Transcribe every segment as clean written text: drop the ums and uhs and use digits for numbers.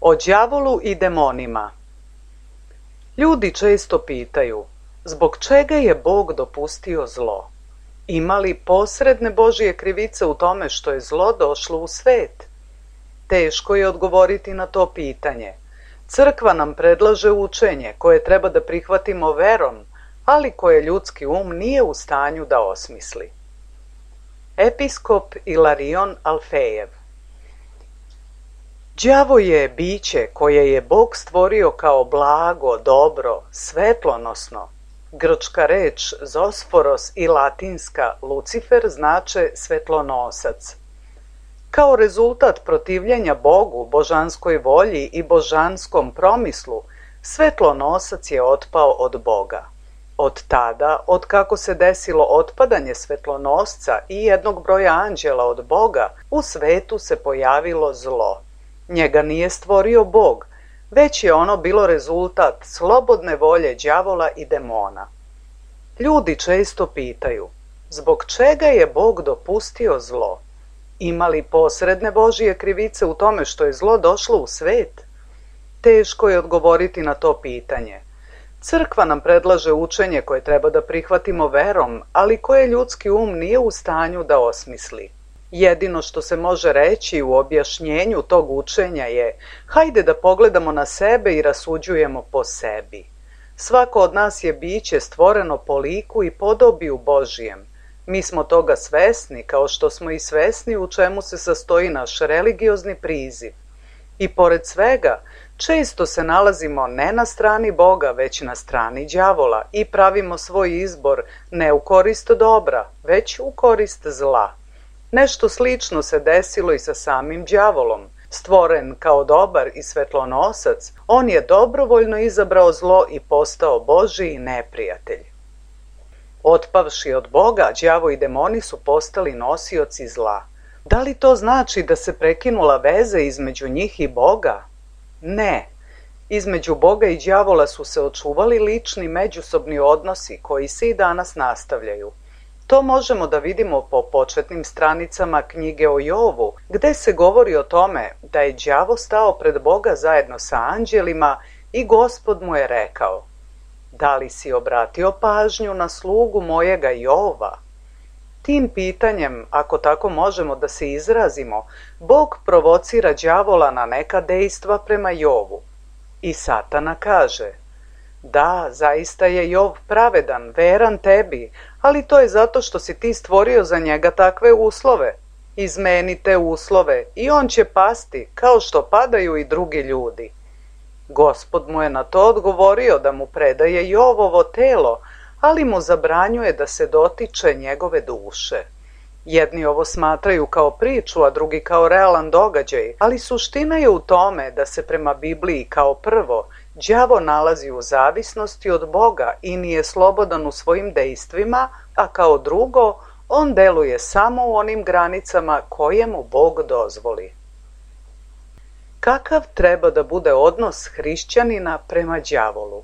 O đavolu i demonima. Ljudi često pitaju, zbog čega je Bog dopustio zlo? Ima li posredne Božje krivice u tome što je zlo došlo u svet? Teško je odgovoriti na to pitanje. Crkva nam predlaže učenje koje treba da prihvatimo verom, ali koje ljudski um nije u stanju da osmisli. Episkop Ilarion Alfejev. Đavo je biće koje je Bog stvorio kao blago, dobro, svetlonosno. Grčka reč zosforos i latinska Lucifer znače svetlonosac. Kao rezultat protivljenja Bogu, božanskoj volji i božanskom promislu, svetlonosac je otpao od Boga. Od tada, od kako se desilo otpadanje svetlonosca i jednog broja anđela od Boga, u svetu se pojavilo zlo. Njega nije stvorio Bog, već je ono bilo rezultat slobodne volje đavola i demona. Ljudi često pitaju, zbog čega je Bog dopustio zlo? Ima li posredne Božje krivice u tome što je zlo došlo u svet? Teško je odgovoriti na to pitanje. Crkva nam predlaže učenje koje treba da prihvatimo verom, ali koje ljudski um nije u stanju da osmisli. Jedino što se može reći u objašnjenju tog učenja je, hajde da pogledamo na sebe i rasuđujemo po sebi. Svako od nas je biće stvoreno po liku i podobiju Božijem. Mi smo toga svesni, kao što smo i svesni u čemu se sastoji naš religiozni priziv. I pored svega, često se nalazimo ne na strani Boga, već na strani đavola i pravimo svoj izbor ne u korist dobra, već u korist zla. Nešto slično se desilo i sa samim đavolom. Stvoren kao dobar i svetlonosac, on je dobrovoljno izabrao zlo i postao Božji neprijatelj. Otpavši od Boga, đavo i demoni su postali nosioci zla. Da li to znači da se prekinula veza između njih i Boga? Ne. Između Boga i đavola su se očuvali lični međusobni odnosi koji se i danas nastavljaju. To možemo da vidimo po početnim stranicama knjige o Jovu, gde se govori o tome da je đavo stao pred Boga zajedno sa anđelima i Gospod mu je rekao: da li si obratio pažnju na slugu mojega Jova? Tim pitanjem, ako tako možemo da se izrazimo, Bog provocira đavola na neka dejstva prema Jovu. I Satana kaže: da, zaista je Jov pravedan, veran tebi, ali to je zato što si ti stvorio za njega takve uslove. Izmeni te uslove i on će pasti, kao što padaju i drugi ljudi. Gospod mu je na to odgovorio da mu predaje Jovovo telo, ali mu zabranjuje da se dotiče njegove duše. Jedni ovo smatraju kao priču, a drugi kao realan događaj, ali suština je u tome da se prema Bibliji kao prvo đavo nalazi u zavisnosti od Boga i nije slobodan u svojim dejstvima, a kao drugo, on deluje samo u onim granicama koje mu Bog dozvoli. Kakav treba da bude odnos hrišćanina prema đavolu?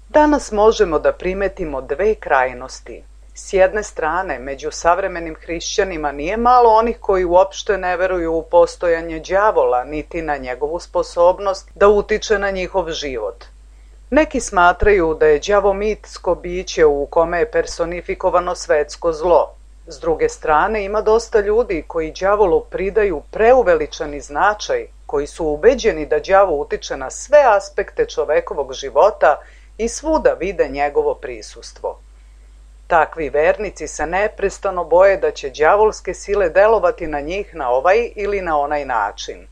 Danas možemo da primetimo dve krajnosti. S jedne strane, među savremenim hrišćanima nije malo onih koji uopšte ne veruju u postojanje đavola, niti na njegovu sposobnost da utiče na njihov život. Neki smatraju da je đavo mitsko biće u kome je personifikovano svetsko zlo. S druge strane, ima dosta ljudi koji đavolu pridaju preuveličani značaj, koji su ubeđeni da đavo utiče na sve aspekte čovekovog života i svuda vide njegovo prisustvo. Takvi vernici se neprestano boje da će đavolske sile delovati na njih na ovaj ili na onaj način.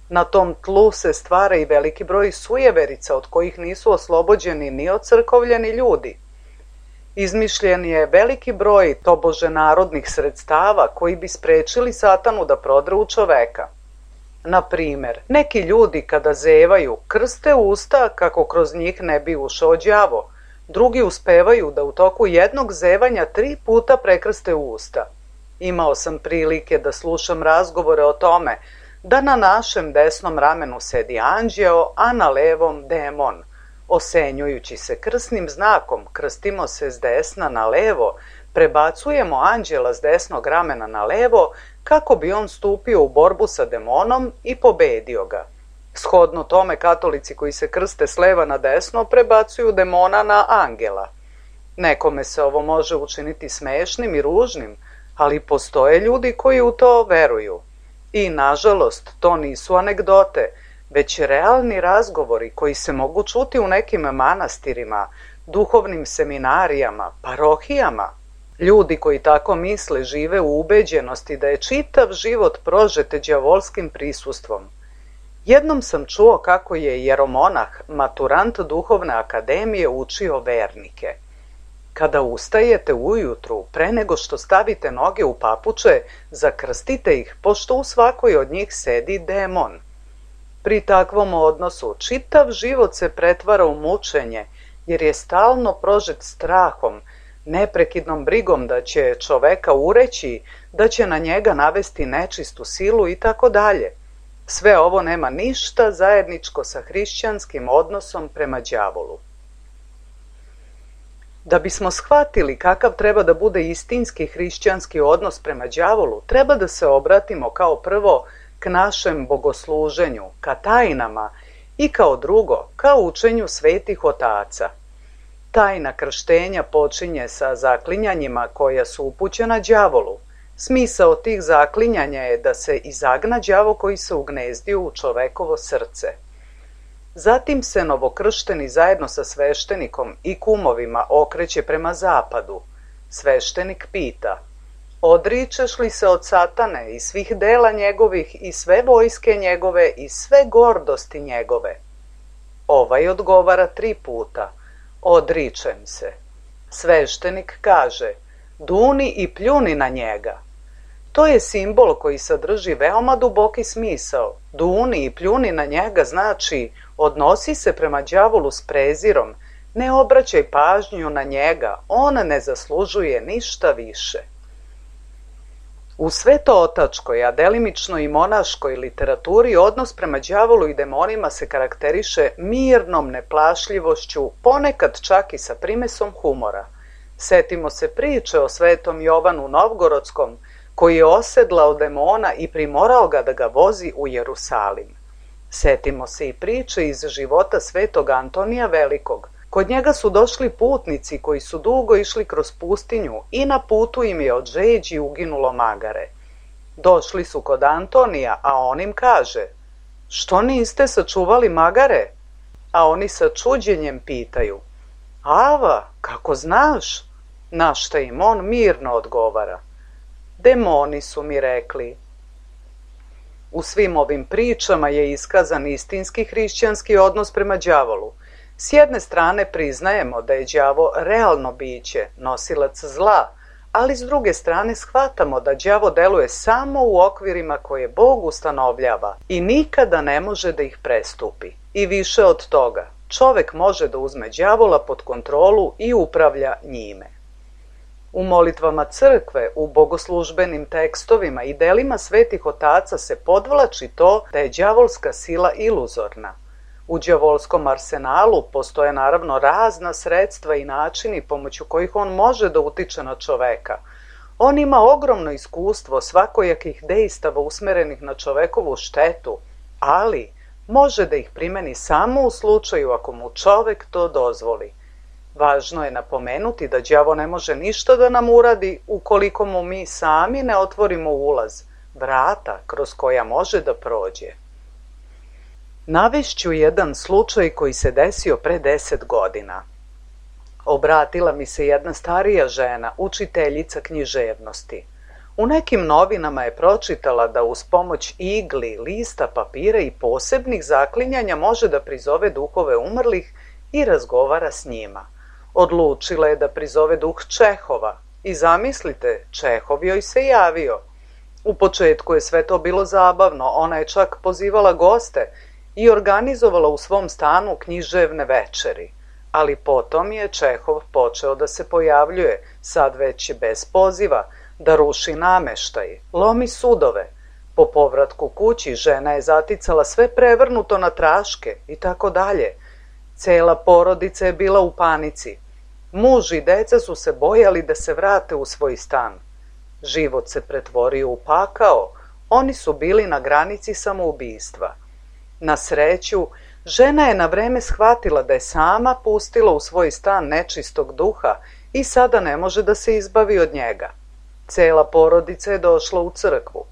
Na tom tlu se stvara i veliki broj sujeverica od kojih nisu oslobođeni ni ocrkovljeni ljudi. Izmišljen je veliki broj tobože narodnih sredstava koji bi sprečili Satanu da prodre u čoveka. Na primer, neki ljudi kada zevaju krste usta kako kroz njih ne bi ušao đavo, drugi uspevaju da u toku jednog zevanja 3 puta prekrste usta. Imao sam prilike da slušam razgovore o tome da na našem desnom ramenu sedi anđeo, a na levom demon. Osenjujući se krsnim znakom, krstimo se s desna na levo, Prebacujemo anđela s desnog ramena na levo kako bi on stupio u borbu sa demonom i pobedio ga. Shodno tome, katolici koji se krste s leva na desno prebacuju demona na angela. Nekome se ovo može učiniti smešnim i ružnim, ali postoje ljudi koji u to veruju. I, nažalost, to nisu anegdote, već realni razgovori koji se mogu čuti u nekim manastirima, duhovnim seminarijama, parohijama. Ljudi koji tako misle žive u ubeđenosti da je čitav život prožet đavolskim prisustvom. Jednom sam čuo kako je jeromonah, maturant duhovne akademije, učio vernike. Kada ustajete ujutru, pre nego što stavite noge u papuče, zakrstite ih, pošto u svakoj od njih sedi demon. Pri takvom odnosu čitav život se pretvara u mučenje, jer je stalno prožet strahom, neprekidnom brigom da će čoveka ureći, da će na njega navesti nečistu silu i tako dalje. Sve ovo nema ništa zajedničko sa hrišćanskim odnosom prema đavolu. Da bismo shvatili kakav treba da bude istinski hrišćanski odnos prema đavolu, treba da se obratimo kao prvo k našem bogosluženju, ka tajnama i kao drugo, ka učenju svetih otaca. Tajna krštenja počinje sa zaklinjanjima koja su upućena đavolu. Smisao tih zaklinjanja je da se izagna đavo koji se ugnezdio u čovekovo srce. Zatim se novokršteni zajedno sa sveštenikom i kumovima okreće prema zapadu. Sveštenik pita: odričeš li se od satane i svih dela njegovih i sve vojske njegove i sve gordosti njegove? Ovaj odgovara 3 puta: odričem se. Sveštenik kaže: duni i pljuni na njega. To je simbol koji sadrži veoma duboki smisao. Duni i pljuni na njega znači odnosi se prema đavolu s prezirom, ne obraćaj pažnju na njega, on ne zaslužuje ništa više. U svetootačkoj, a delimično i monaškoj literaturi odnos prema đavolu i demonima se karakteriše mirnom neplašljivošću, ponekad čak i sa primesom humora. Setimo se priče o svetom Jovanu Novgorodskom, koji je osedlao demona i primorao ga da ga vozi u Jerusalim. Setimo se i priče iz života svetog Antonija Velikog. Kod njega su došli putnici koji su dugo išli kroz pustinju i na putu im je od žeđi uginulo magare. Došli su kod Antonija, a on im kaže: što niste sačuvali magare? A oni sa čuđenjem pitaju: ava, kako znaš? Na šta im on mirno odgovara: demoni su mi rekli. U svim ovim pričama je iskazan istinski hrišćanski odnos prema đavolu. S jedne strane priznajemo da je đavo realno biće, nosilac zla, ali s druge strane shvatamo da đavo deluje samo u okvirima koje Bog ustanovljava i nikada ne može da ih prestupi. I više od toga, čovek može da uzme đavola pod kontrolu i upravlja njime. U molitvama crkve, u bogoslužbenim tekstovima i delima svetih otaca se podvlači to da je đavolska sila iluzorna. U đavolskom arsenalu postoje naravno razna sredstva i načini pomoću kojih on može da utiče na čoveka. On ima ogromno iskustvo svakojakih dejstava usmerenih na čovekovu štetu, ali može da ih primeni samo u slučaju ako mu čovek to dozvoli. Važno je napomenuti da đavo ne može ništa da nam uradi ukoliko mu mi sami ne otvorimo ulaz, vrata kroz koja može da prođe. Navešću jedan slučaj koji se desio pre 10 godina. Obratila mi se jedna starija žena, učiteljica književnosti. U nekim novinama je pročitala da uz pomoć igli, lista papira i posebnih zaklinjanja može da prizove duhove umrlih i razgovara s njima. Odlučila je da prizove duh Čehova i zamislite, Čehov joj se javio. U početku je sve to bilo zabavno, ona je čak pozivala goste i organizovala u svom stanu književne večeri. Ali potom je Čehov počeo da se pojavljuje, sad već bez poziva, da ruši nameštaj, lomi sudove. Po povratku kući žena je zaticala sve prevrnuto na traške i tako dalje. Cela porodica je bila u panici. Muž i deca su se bojali da se vrate u svoj stan. Život se pretvorio u pakao, oni su bili na granici samoubistva. Na sreću, žena je na vreme shvatila da je sama pustila u svoj stan nečistog duha i sada ne može da se izbavi od njega. Cela porodica je došla u crkvu.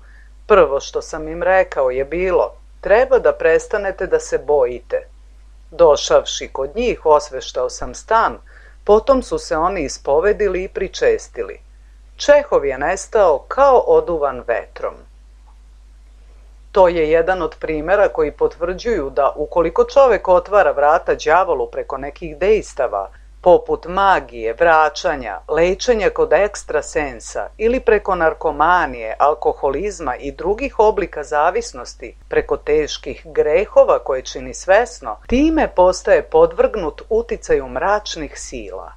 Prvo što sam im rekao je bilo: treba da prestanete da se bojite. Došavši kod njih, osveštao sam stan, potom su se oni ispovedili i pričestili. Čehov je nestao kao oduvan vetrom. To je jedan od primera koji potvrđuju da ukoliko čovek otvara vrata đavolu preko nekih dejstava, poput magije, vraćanja, lečenja kod ekstrasensa ili preko narkomanije, alkoholizma i drugih oblika zavisnosti, preko teških grehova koje čini svesno, time postaje podvrgnut uticaju mračnih sila.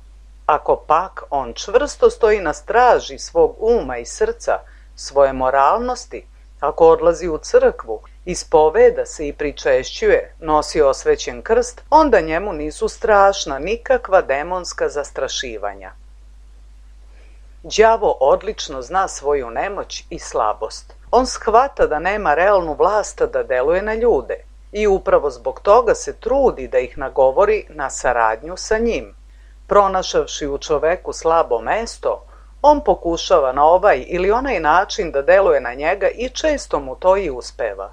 Ako pak on čvrsto stoji na straži svog uma i srca, svoje moralnosti, ako odlazi u crkvu, ispoveda se i pričešćuje, nosi osvećen krst, onda njemu nisu strašna nikakva demonska zastrašivanja. Đavo odlično zna svoju nemoć i slabost. On shvata da nema realnu vlast da deluje na ljude i upravo zbog toga se trudi da ih nagovori na saradnju sa njim. Pronašavši u čoveku slabo mesto, on pokušava na ovaj ili onaj način da deluje na njega i često mu to i uspeva.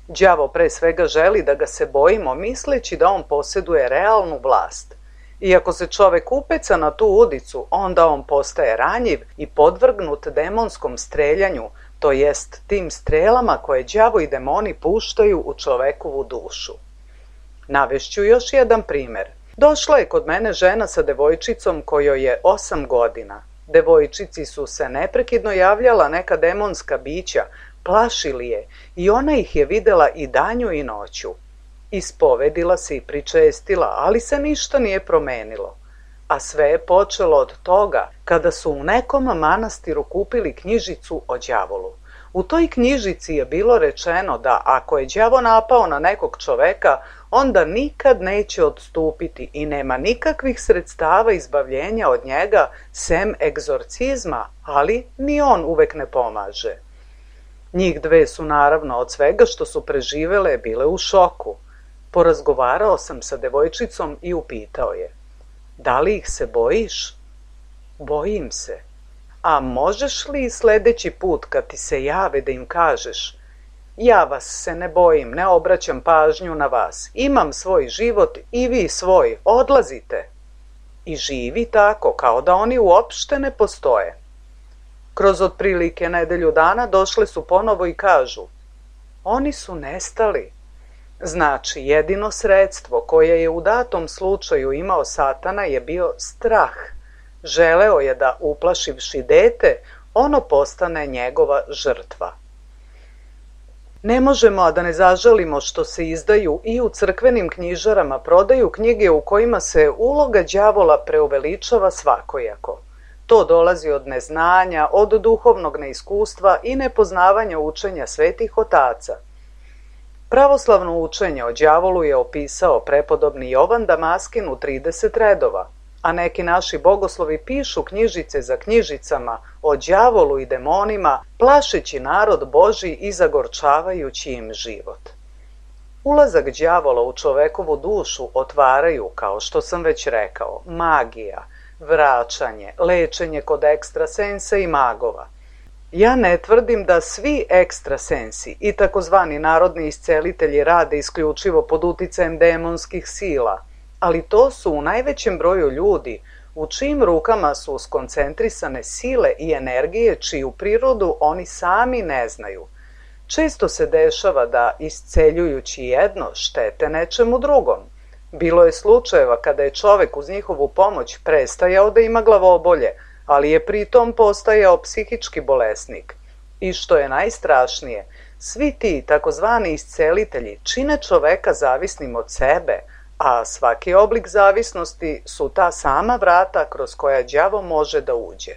Đavo pre svega želi da ga se bojimo, misleći da on posjeduje realnu vlast. I ako se čovek upeca na tu udicu, onda on postaje ranjiv i podvrgnut demonskom streljanju, to jest tim strelama koje đavo i demoni puštaju u čovekovu dušu. Navešću još jedan primer. Došla je kod mene žena sa devojčicom kojoj je 8 godina. Devojčici su se neprekidno javljala neka demonska bića, plašili je i ona ih je videla i danju i noću. Ispovedila se i pričestila, ali se ništa nije promenilo. A sve je počelo od toga kada su u nekom manastiru kupili knjižicu o đavolu. U toj knjižici je bilo rečeno da ako je đavo napao na nekog čoveka, onda nikad neće odstupiti i nema nikakvih sredstava izbavljenja od njega sem egzorcizma, ali ni on uvek ne pomaže. Njih dve su naravno od svega što su preživele bile u šoku. Porazgovarao sam sa devojčicom i upitao je: da li ih se bojiš? Bojim se. A možeš li sledeći put kad ti se jave da im kažeš: ja vas se ne bojim, ne obraćam pažnju na vas, imam svoj život i vi svoj, odlazite. I živi tako, kao da oni uopšte ne postoje. Kroz otprilike nedelju dana došle su ponovo i kažu: oni su nestali. Znači, jedino sredstvo koje je u datom slučaju imao Satana je bio strah. Želeo je da, uplašivši dete, ono postane njegova žrtva. Ne možemo a da ne zažalimo što se izdaju i u crkvenim knjižarama prodaju knjige u kojima se uloga đavola preuveličava svakojako. To dolazi od neznanja, od duhovnog neiskustva i nepoznavanja učenja svetih otaca. Pravoslavno učenje o đavolu je opisao prepodobni Jovan Damaskin u 30 redova, a neki naši bogoslovi pišu knjižice za knjižicama o đavolu i demonima, plašeći narod Božji i zagorčavajući im život. Ulazak đavola u čovekovu dušu otvaraju, kao što sam već rekao, magija, vraćanje, lečenje kod ekstrasensa i magova. Ja ne tvrdim da svi ekstrasensi i takozvani narodni iscelitelji rade isključivo pod uticajem demonskih sila, ali to su u najvećem broju ljudi u čijim rukama su skoncentrisane sile i energije čiju prirodu oni sami ne znaju. Često se dešava da, isceljujući jedno, štete nečemu drugom. Bilo je slučajeva kada je čovek uz njihovu pomoć prestajao da ima glavobolje, ali je pritom postajao psihički bolesnik. I što je najstrašnije, svi ti takozvani iscelitelji čine čoveka zavisnim od sebe, a svaki oblik zavisnosti su ta sama vrata kroz koja đavo može da uđe.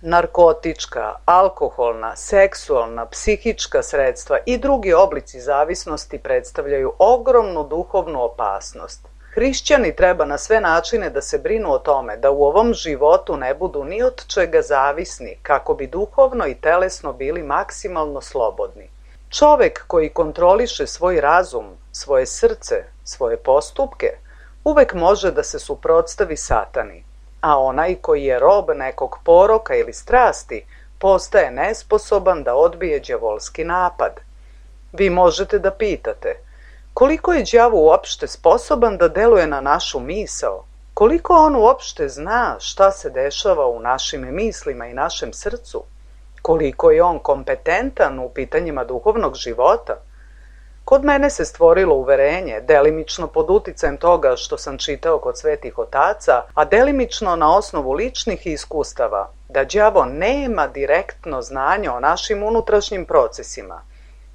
Narkotička, alkoholna, seksualna, psihička sredstva i drugi oblici zavisnosti predstavljaju ogromnu duhovnu opasnost. Hrišćani treba na sve načine da se brinu o tome da u ovom životu ne budu ni od čega zavisni, kako bi duhovno i telesno bili maksimalno slobodni. Čovek koji kontroliše svoj razum, svoje srce, svoje postupke, uvek može da se suprotstavi satani, a onaj koji je rob nekog poroka ili strasti postaje nesposoban da odbije đavolski napad. Vi možete da pitate, koliko je đavo uopšte sposoban da deluje na našu misao? Koliko on uopšte zna šta se dešava u našim mislima i našem srcu? Koliko je on kompetentan u pitanjima duhovnog života? Kod mene se stvorilo uverenje, delimično pod uticajem toga što sam čitao kod svetih otaca, a delimično na osnovu ličnih iskustava, da đavo nema direktno znanje o našim unutrašnjim procesima.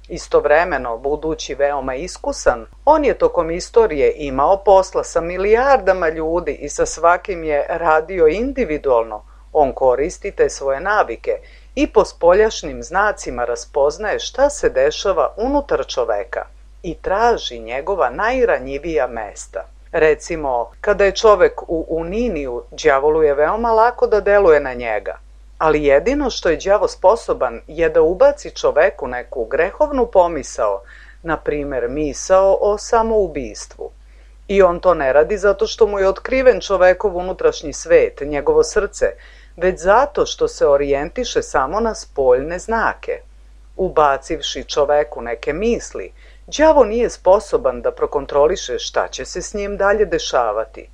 Istovremeno, budući veoma iskusan, on je tokom istorije imao posla sa milijardama ljudi i sa svakim je radio individualno. On koristi te svoje navike i po spoljašnjim znacima raspoznaje šta se dešava unutar čoveka i traži njegova najranjivija mesta. Recimo, kada je čovek u uniniju, đavolu je veoma lako da deluje na njega. Ali jedino što je đavo sposoban je da ubaci čoveku neku grehovnu pomisao, na primer misao o samoubistvu. I on to ne radi zato što mu je otkriven čovekov unutrašnji svet, njegovo srce, već zato što se orijentiše samo na spoljne znake. Ubacivši čoveku neke misli, đavo nije sposoban da prokontroliše šta će se s njim dalje dešavati.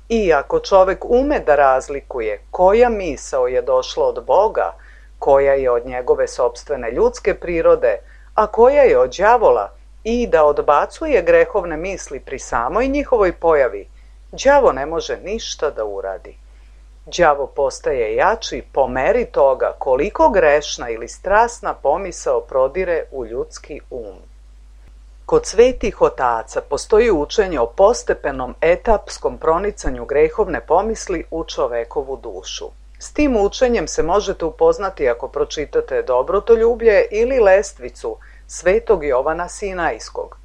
I ako čovek ume da razlikuje koja misao je došla od Boga, koja je od njegove sopstvene ljudske prirode, a koja je od đavola, i da odbacuje grehovne misli pri samoj njihovoj pojavi, đavo ne može ništa da uradi. Đavo postaje jači po meri toga koliko grešna ili strasna pomisao prodire u ljudski um. Kod svetih otaca postoji učenje o postepenom etapskom pronicanju grehovne pomisli u čovekovu dušu. S tim učenjem se možete upoznati ako pročitate Dobrotoljublje ili Lestvicu svetog Jovana Sinajskog.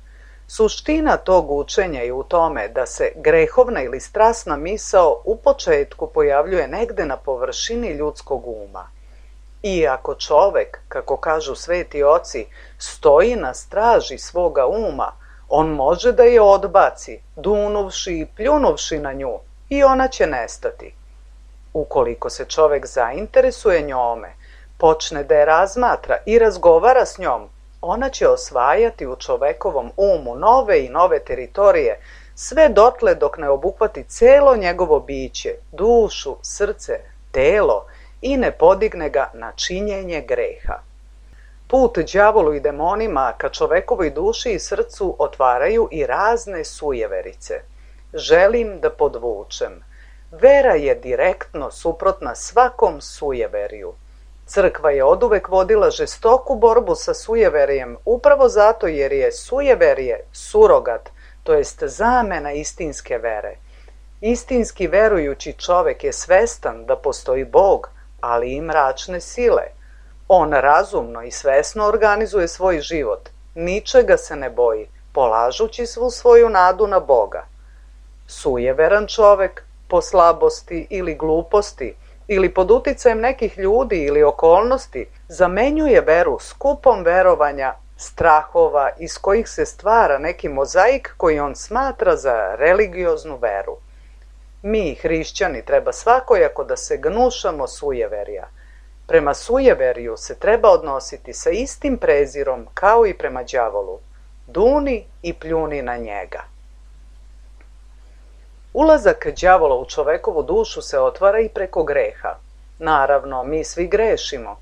Suština tog učenja je u tome da se grehovna ili strasna misao u početku pojavljuje negde na površini ljudskog uma. I ako čovek, kako kažu sveti oci, stoji na straži svoga uma, on može da je odbaci, dunuvši i pljunuvši na nju, i ona će nestati. Ukoliko se čovek zainteresuje njome, počne da je razmatra i razgovara s njom, ona će osvajati u čovekovom umu nove i nove teritorije, sve dotle dok ne obuhvati celo njegovo biće, dušu, srce, telo i ne podigne ga na činjenje greha. Put đavolu i demonima ka čovekovoj duši i srcu otvaraju i razne sujeverice. Želim da podvučem. Vera je direktno suprotna svakom sujeveriju. Crkva je oduvek vodila žestoku borbu sa sujeverijem upravo zato jer je sujeverje surogat, to jest zamena istinske vere. Istinski verujući čovek je svestan da postoji Bog, ali i mračne sile. On razumno i svesno organizuje svoj život, ničega se ne boji, polažući svu svoju nadu na Boga. Sujeveran čovek, po slabosti ili gluposti, ili pod uticajem nekih ljudi ili okolnosti, zamenjuje veru skupom verovanja, strahova iz kojih se stvara neki mozaik koji on smatra za religioznu veru. Mi, hrišćani, treba svakojako da se gnušamo sujeverja. Prema sujeverju se treba odnositi sa istim prezirom kao i prema đavolu. Duni i pljuni na njega. Ulazak đavola u čovekovu dušu se otvara i preko greha. Naravno, mi svi grešimo,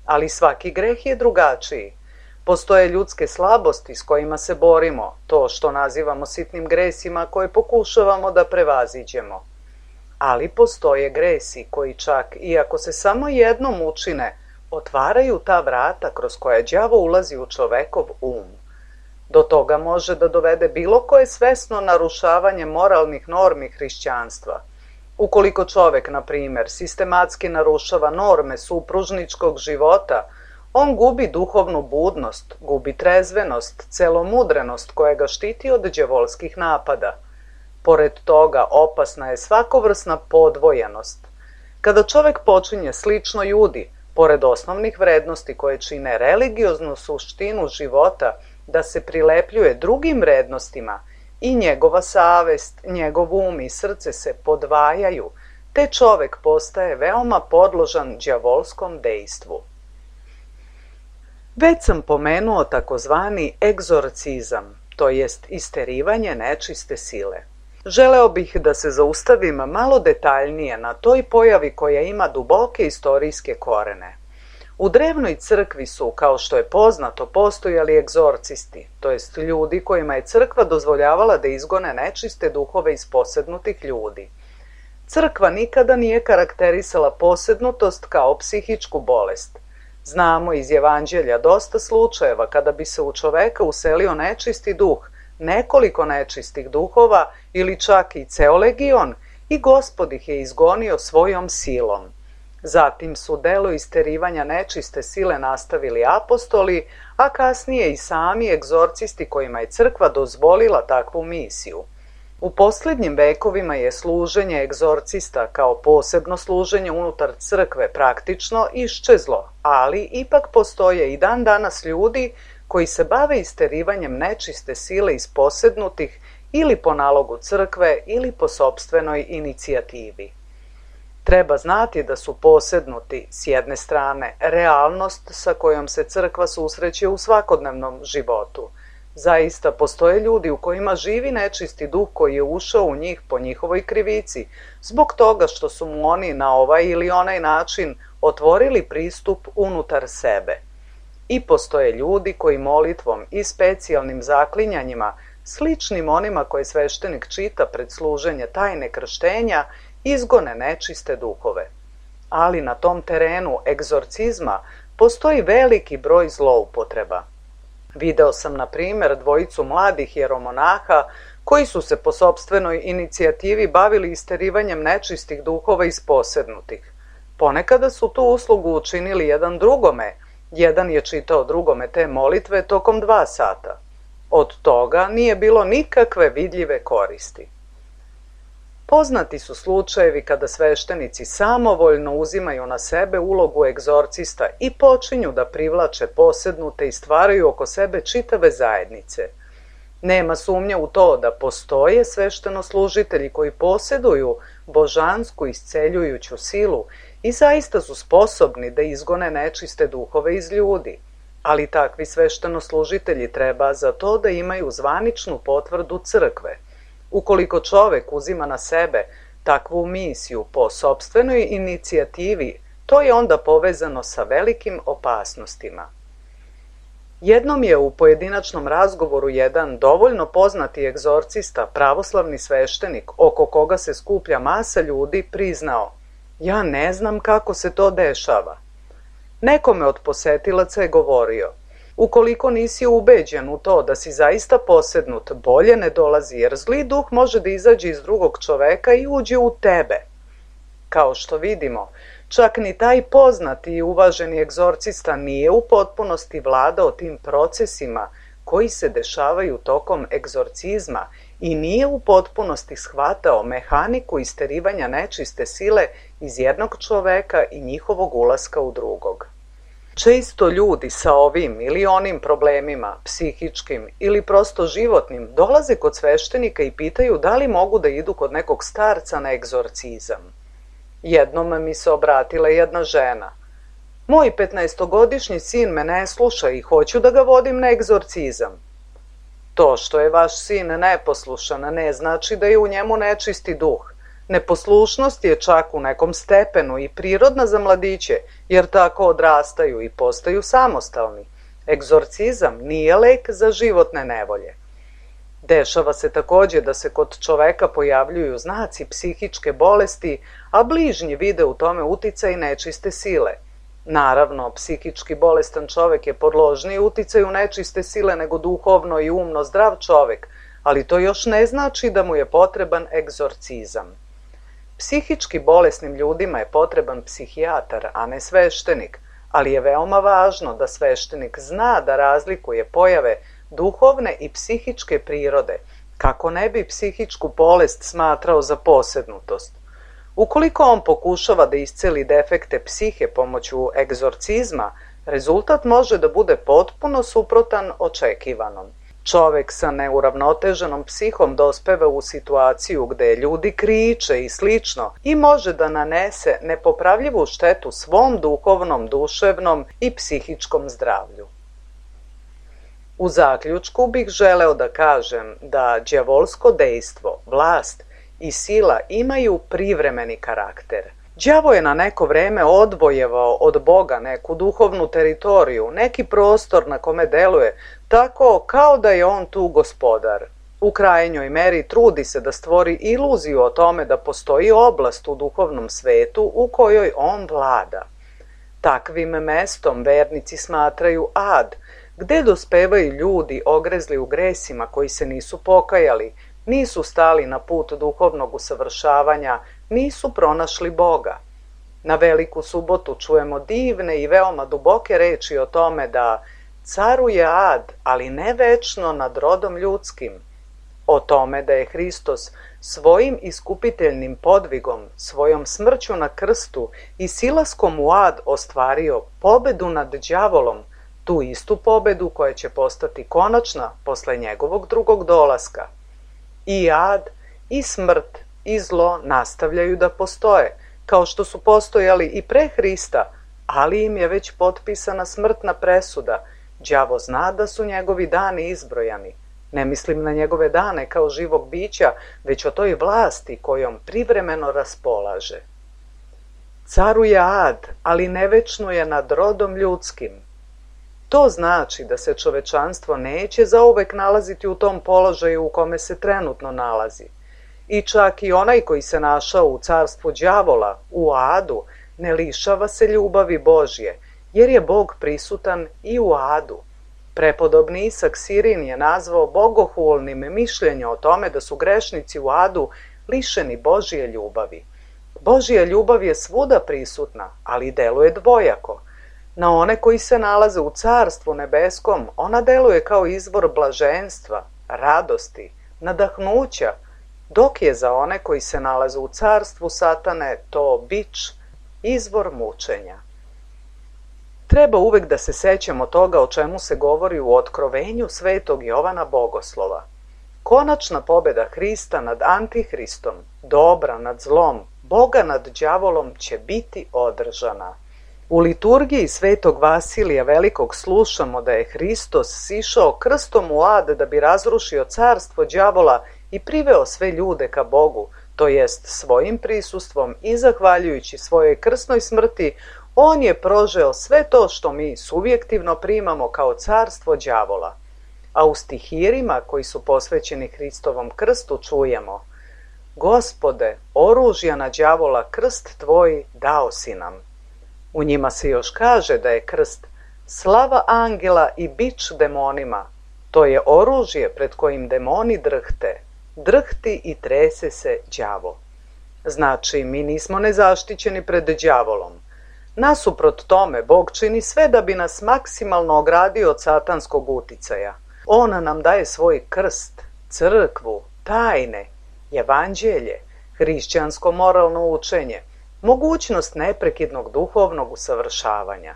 ali svaki greh je drugačiji. Postoje ljudske slabosti s kojima se borimo, to što nazivamo sitnim gresima koje pokušavamo da prevaziđemo. Ali postoje gresi koji čak, iako se samo jednom učine, otvaraju ta vrata kroz koja đavo ulazi u čovekov um. Do toga može da dovede bilo koje svesno narušavanje moralnih normi hrišćanstva. Ukoliko čovek, na primer, sistematski narušava norme supružničkog života, on gubi duhovnu budnost, gubi trezvenost, celomudrenost koja ga štiti od đavolskih napada. Pored toga, opasna je svakovrsna podvojenost. Kada čovek počinje slično Judi, pored osnovnih vrednosti koje čine religioznu suštinu života, da se prilepljuje drugim vrednostima, i njegova savest, njegov um i srce se podvajaju, te čovek postaje veoma podložan đavolskom dejstvu. Već sam pomenuo takozvani egzorcizam, to jest isterivanje nečiste sile. Želeo bih da se zaustavim malo detaljnije na toj pojavi koja ima duboke istorijske korene. U drevnoj crkvi su, kao što je poznato, postojali egzorcisti, to jest ljudi kojima je crkva dozvoljavala da izgone nečiste duhove iz posednutih ljudi. Crkva nikada nije karakterisala posednutost kao psihičku bolest. Znamo iz Evanđelja dosta slučajeva kada bi se u čoveka uselio nečisti duh, nekoliko nečistih duhova ili čak i ceo legion, i Gospod ih je izgonio svojom silom. Zatim su delo isterivanja nečiste sile nastavili apostoli, a kasnije i sami egzorcisti kojima je crkva dozvolila takvu misiju. U posljednjim vekovima je služenje egzorcista kao posebno služenje unutar crkve praktično iščezlo, ali ipak postoje i dan danas ljudi koji se bave isterivanjem nečiste sile iz posednutih ili po nalogu crkve ili po sopstvenoj inicijativi. Treba znati da su posednuti, s jedne strane, realnost sa kojom se crkva susreće u svakodnevnom životu. Zaista postoje ljudi u kojima živi nečisti duh koji je ušao u njih po njihovoj krivici, zbog toga što su mu oni na ovaj ili onaj način otvorili pristup unutar sebe. I postoje ljudi koji molitvom i specijalnim zaklinjanjima, sličnim onima koje sveštenik čita pred služenje tajne krštenja, izgone nečiste duhove. Ali na tom terenu egzorcizma postoji veliki broj zloupotreba. Video sam, na primjer, dvojicu mladih jeromonaha koji su se po sopstvenoj inicijativi bavili isterivanjem nečistih duhova iz posednutih. Ponekada su tu uslugu učinili jedan drugome, jedan je čitao drugome te molitve tokom 2 sata. Od toga nije bilo nikakve vidljive koristi. Poznati su slučajevi kada sveštenici samovoljno uzimaju na sebe ulogu egzorcista i počinju da privlače posednute i stvaraju oko sebe čitave zajednice. Nema sumnje u to da postoje sveštenoslužitelji koji poseduju božansku isceljujuću silu i zaista su sposobni da izgone nečiste duhove iz ljudi, ali takvi sveštenoslužitelji treba za to da imaju zvaničnu potvrdu crkve. Ukoliko čovek uzima na sebe takvu misiju po sopstvenoj inicijativi, to je onda povezano sa velikim opasnostima. Jednom je u pojedinačnom razgovoru jedan dovoljno poznati egzorcista, pravoslavni sveštenik, oko koga se skuplja masa ljudi, priznao: "Ja ne znam kako se to dešava." Nekome od posetilaca je govorio: "Ukoliko nisi ubeđen u to da si zaista posednut, bolje ne dolazi, jer zli duh može da izađe iz drugog čoveka i uđe u tebe." Kao što vidimo, čak ni taj poznati i uvaženi egzorcista nije u potpunosti vladao tim procesima koji se dešavaju tokom egzorcizma i nije u potpunosti shvatao mehaniku isterivanja nečiste sile iz jednog čoveka i njihovog ulaska u drugog. Često ljudi sa ovim ili onim problemima, psihičkim ili prosto životnim, dolaze kod sveštenika i pitaju da li mogu da idu kod nekog starca na egzorcizam. Jednom mi se obratila jedna žena: "Moj 15-godišnji sin me ne sluša i hoću da ga vodim na egzorcizam." To što je vaš sin neposlušan ne znači da je u njemu nečisti duh. Neposlušnost je čak u nekom stepenu i prirodna za mladiće, jer tako odrastaju i postaju samostalni. Egzorcizam nije lek za životne nevolje. Dešava se takođe da se kod čoveka pojavljuju znaci psihičke bolesti, a bližnji vide u tome uticaj nečiste sile. Naravno, psihički bolestan čovek je podložniji uticaju nečiste sile nego duhovno i umno zdrav čovek, ali to još ne znači da mu je potreban egzorcizam. Psihički bolesnim ljudima je potreban psihijatar, a ne sveštenik, ali je veoma važno da sveštenik zna da razlikuje pojave duhovne i psihičke prirode, Kako ne bi psihičku bolest smatrao za posednutost? Ukoliko on pokušava da isceli defekte psihe pomoću egzorcizma, rezultat može da bude potpuno suprotan očekivanom. Čovek sa neuravnoteženom psihom dospeva u situaciju gde ljudi kriče i slično i može da nanese nepopravljivu štetu svom duhovnom, duševnom i psihičkom zdravlju. U zaključku bih želeo da kažem da đavolsko dejstvo, vlast i sila imaju privremeni karakter. Đavo je na neko vreme odvojevao od Boga neku duhovnu teritoriju, neki prostor na kome deluje, tako kao da je on tu gospodar. U krajnjoj meri trudi se da stvori iluziju o tome da postoji oblast u duhovnom svetu u kojoj on vlada. Takvim mestom vernici smatraju ad, gde dospevaju ljudi ogrezli u gresima koji se nisu pokajali, nisu stali na put duhovnog usavršavanja, nisu pronašli Boga. Na Veliku subotu čujemo divne i veoma duboke reči o tome da caruje ad, ali ne večno nad rodom ljudskim. O tome da je Hristos svojim iskupiteljnim podvigom, svojom smrću na krstu i silaskom u ad ostvario pobedu nad đavolom, tu istu pobedu koja će postati konačna posle njegovog drugog dolaska. I ad, i smrt, i zlo nastavljaju da postoje, kao što su postojali i pre Hrista, ali im je već potpisana smrtna presuda. Đavo zna da su njegovi dani izbrojani. Ne mislim na njegove dane kao živog bića, već o toj vlasti kojom privremeno raspolaže. Caruje ad, ali nevečno je nad rodom ljudskim. To znači da se čovečanstvo neće zauvek nalaziti u tom položaju u kome se trenutno nalazi. I čak i onaj koji se našao u carstvu đavola, u adu, ne lišava se ljubavi Božje, jer je Bog prisutan i u adu. Prepodobni Isak Sirin je nazvao bogohulnim mišljenje o tome da su grešnici u adu lišeni Božje ljubavi. Božja ljubav je svuda prisutna, ali deluje dvojako. Na one koji se nalaze u carstvu nebeskom, ona deluje kao izvor blaženstva, radosti, nadahnuća, dok je za one koji se nalaze u carstvu satane to bič, izvor mučenja. Treba uvek da se sećamo toga o čemu se govori u Otkrovenju svetog Jovana Bogoslova. Konačna pobeda Hrista nad Antihristom, dobra nad zlom, Boga nad đavolom će biti održana. U liturgiji svetog Vasilija Velikog slušamo da je Hristos sišao krstom u ad da bi razrušio carstvo đavola i priveo sve ljude ka Bogu, to jest svojim prisustvom i zahvaljujući svojoj krsnoj smrti, on je prožeo sve to što mi subjektivno primamo kao carstvo đavola. A u stihirima koji su posvećeni Hristovom krstu čujemo: Gospode, oružja na đavola krst tvoj dao si nam. U njima se još kaže da je krst slava angela i bič demonima. To je oružje pred kojim demoni drhte. Drhti i trese se đavo. Znači, mi nismo nezaštićeni pred đavolom. Nasuprot tome, Bog čini sve da bi nas maksimalno ogradio od satanskog uticaja. On nam daje svoj krst, crkvu, tajne, evanđelje, hrišćansko moralno učenje, mogućnost neprekidnog duhovnog usavršavanja.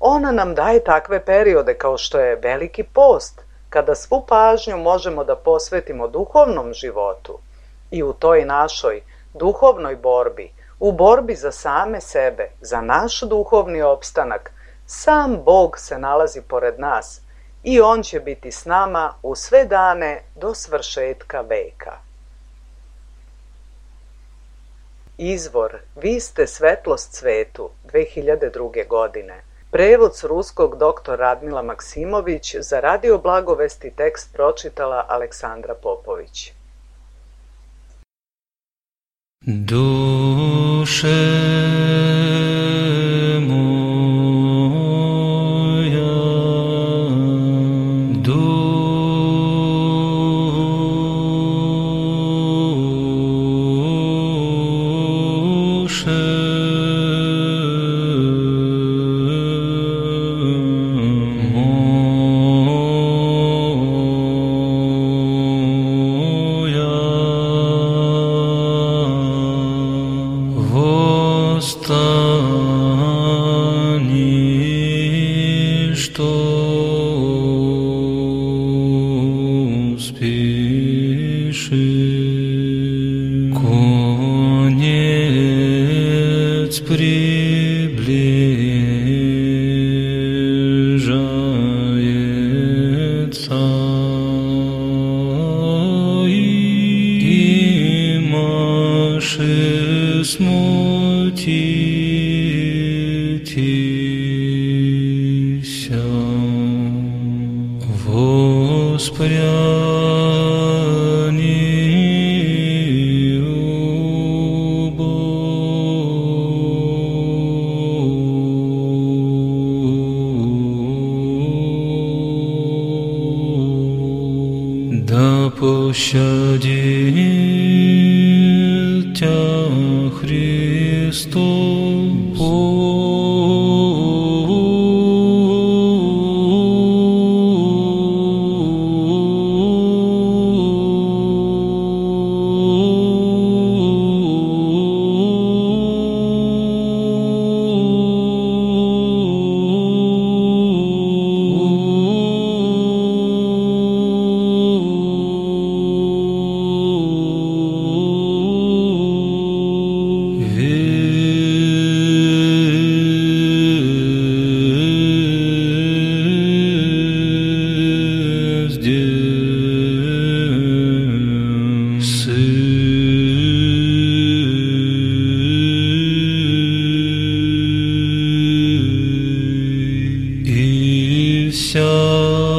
On nam daje takve periode kao što je Veliki post, kada svu pažnju možemo da posvetimo duhovnom životu. I u toj našoj duhovnoj borbi, u borbi za same sebe, za naš duhovni opstanak, sam Bog se nalazi pored nas i On će biti s nama u sve dane do svršetka veka. Izvor Vi ste svetlost svetu 2002. godine. Prevod s ruskog dr. Radmila Maksimović, za Radio Blagovesti tekst pročitala Aleksandra Popović. Duše moja, duše moja. приближается, и маши смутитесь, воспряни убо. Да пощадит тя Христос. И вся